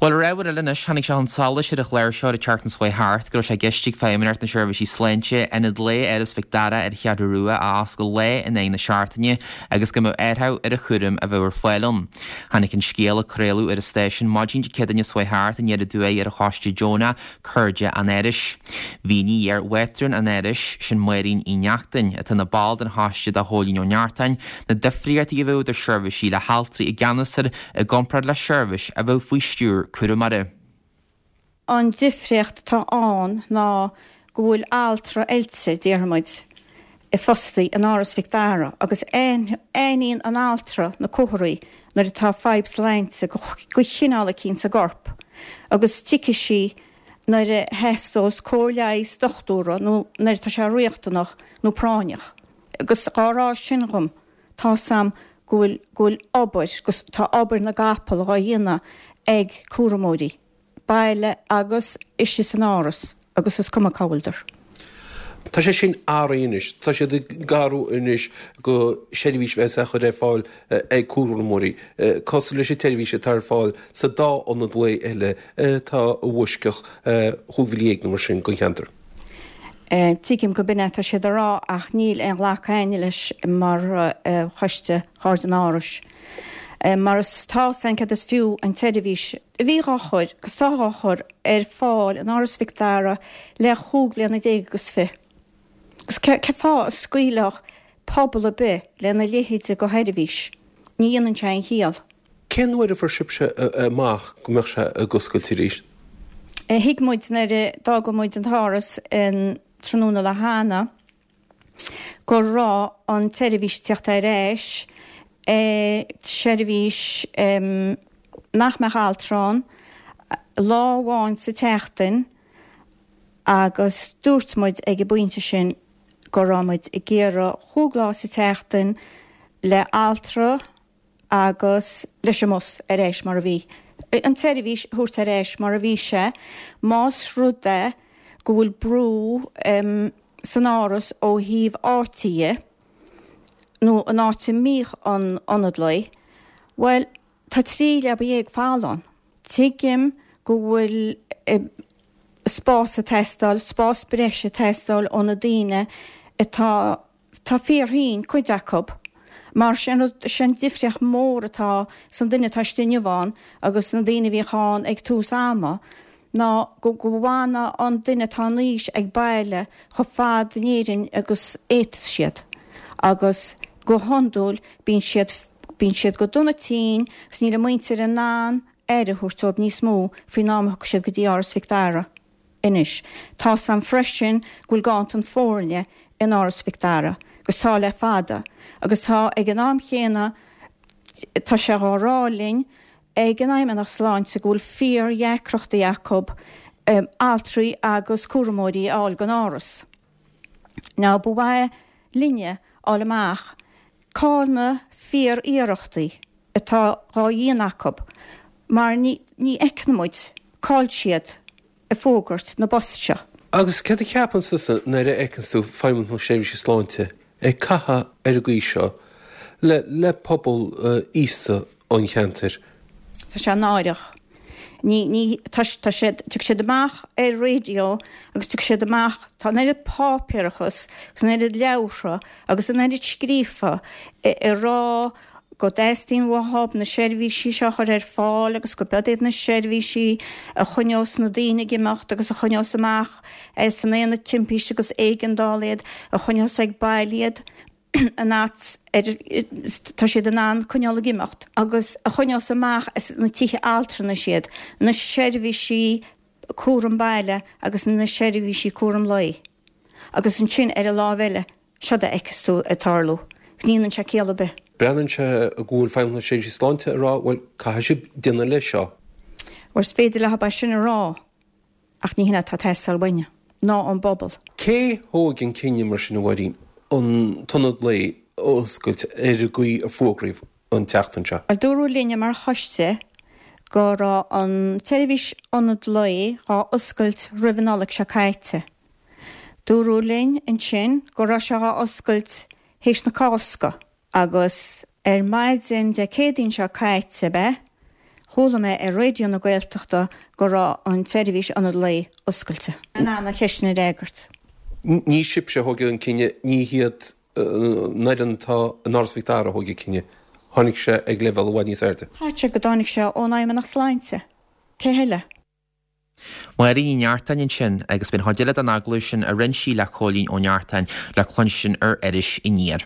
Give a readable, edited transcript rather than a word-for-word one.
Bhuel, ar ábhar eile anois, tháinig sé chun solais ar an chlár seo an tseachtain seo chuaigh thart go raibh sé i gceist ag Feidhmeannacht na Seirbhísí Sláinte ionad lae Áras Mhic Dara ar an Cheathrú Rua a oscailt lá in aghaidh na seachtaine agus go mbeadh athrú ar an chúram a bheadh ar fáil ann. Tháinig an scéal a craoladh ar an stáisiún maidin Dé Céadaoine seo chuaigh thart aniar aduaidh ar an choiste deonach Cairde an Árais. Mhínigh iar-mhátrún an Árais, sin Máirín Uí Neachtain, atá ina ball den choiste do Phóilín Ó Neachtain, na difríochtaí a bheadh idir seirbhísí le haltraí i gceannas air i gcomparáid le seirbhís a bheadh faoi stiúir cúramóra. An difríocht atá ann ná go bhfuil altra oilte, déarfaidh muid, fostaí in Áras Mhic Dara agus aithníonn an altra na comharthaí nuair atá fadhb sláinte de chineál eicínt sa gcorp agus tiocfaidh sí nuair a theastós cóir leighis dochtúra nó nuair atá sé riachtanach nó práinneach. Agus dhá rá sin dhom, tá's a'm go bhfuil, go bhfuil obair, agus tá obair na gcapall dhá dhéanamh ag cúramóirí. baile agus istigh san áras agus is cuma cá bhfuileadar. Tá sé sin athraithe anois. Tá siad ag athrú anois go seirbhís a bheas á chur ar fáil ag cúramóirí, cosúil leis an tseirbhís atá ar fáil sa dá ionad lae eile atá i bhfoisceacht chúig mhíle dhéag nó mar sin den cheantar. Tuigim go b'in é atá siad a rá ach níl aon ghlacadh a'inne leis mar choiste Chairde an Árais. Mar is tá's a'inn céard is fiú an tseirbhís a bhí dhá chur, agus tá dhá chur, ar fáil in Áras Mhic Dara le chúig bhliana déag agus fi. Agus cé fáth a scaoilfeadh pobal ar bith lena leithéide de sheirbhís? Ní dhéanann sé aon chiall. Cén uair a fuair sibhse amach go mbeadh sé ag oscailt arís? Thuig muid nuair a d'fhága muid an tÁras an tráthnóna lá cheana go raibh an tseirbhís ag teacht ar ais, seirbhís nach mbeadh altra ann, lá amháin sa tseachtain agus dúirt muid ag an bpointe sin go raibh muid ag iarraidh chúig lá sa tseachtain le altra agus leis an mbus ar ais mar a bhí, an tseirbhís a thabhairt ar ais mar a bhí sé, más rud é go bhfuil brú san áras ó thaobh áite dhe, nó an áit a mbíodh an ionad lae, bhuel, tá 13 leaba folamh ann. Tuigim go bhfuil spás ag teastáil, spás breise ag teastáil ó na daoine atá Tá fíorthinn, cuid acu. Mar sin rud, sin difríocht mór atá san duine atá istigh inniu ann agus na daoine a bhíodh ann ag tús ama, ná go go bhfanadh an duine atá in aois ag baile chomh fada in Éirinn agus fhéadfas siad. Agus go hiondúil bíonn siad, bíonn siad go dona tinn agus níl a muintir in ann aire a thabhairt dóibh níos mó faoin am a thiocfaidh siad go dtí Áras Mhic Dara. Anois, tá's a'm freisin go bhfuil ganntan foirne in Áras Mhic Dara, agus tá le fada, agus tá ag an am chéanna, tá sé dhá rá linn ag an Fheidhmeannacht Sláinte go bhfuil fíor-dheacrachtaí acu altraí agus cúramóirí a fháil don Áras. Now, ba mhaith linne fháil amach cá'il na fíor-iarrachtaí atá dhá dhéanamh acu mar ní fheiceann muid cá'il siad ag fógairt na bpost seo. Agus céard a cheapann tusa nuair a fheiceanns tú Feidhmeannacht na Seirbhíse Sláinte ag caitheamh ar an gcaoi seo le le pobal aosta an cheantair? Tá sé náireach. Ní, ní, tá, tá siad, tiocfaidh siad amach ar raidió agus tiocfaidh siad amach, tá an oiread páipéarachas agus an oiread leabhartha agus an oiread scríofa ag rá go dteastaíonn uathub na seirbhísí seo a chur ar fáil agus go b'iod iad na seirbhísí a choinneos na daoine ag imeacht agus a choinneos amach as an aonad timpiste agus éigeandála iad, a choinneos ag baile iad an áit ar tá siad in ann coinneáil ag imeacht agus a choinneos amach as na tithe altranais iad, na seirbhísí cúram baile agus na seirbhísí cúram lae. Agus ansin ar an lámh eile, Seod a fheiceas tú ag tarlú. Ní dhéanann sé ciall ar bith. Breathnaíonn sé go bhfuil Feidhmeannacht na Seirbhíse Sláinte ag rá, bhuel, caithfidh sibh déanamh leis seo. Bhuel, is féidir leo é sin a rá, ach ní hin é atá ag teastáil uainne, ná ón bpobal. Cé thóg an cinneadh mar sin, a Mháirín, an t-ionad lae a oscailt ar an gcaoi a fógraíodh an tseachtain seo? Bhuel, dúradh linne mar choiste go raibh an tseirbhís ionad lae dhá oscailt roimh an Nollaig seo caite. Dúradh linn ansin go raibh sé dhá oscailt théis na Cásca agus ar maidin Dé Céadaoin seo caite ab ea? Chuala mé ar Raidió na Gaeltachta go raibh an tseirbhís ionad lae oscailte. In ann an cheist sin a fhreagairt. Ní sibhse a thóg an cinneadh, ní hiad an fhoireann atá in Áras Mhic Dara a thóg an cinneadh. Tháinig sé ag leibhéal i bhfad níos airde. Chaithfeadh sé go dtáinig sé ón Fheidhmeannacht Sláinte. Cé heile? Máire Ní Neartáin ansin agus beidh an chuid eile den agallamh sin a rinne sí le Cóilín Ó Neartáin le cluinstin ar Iris Aniar.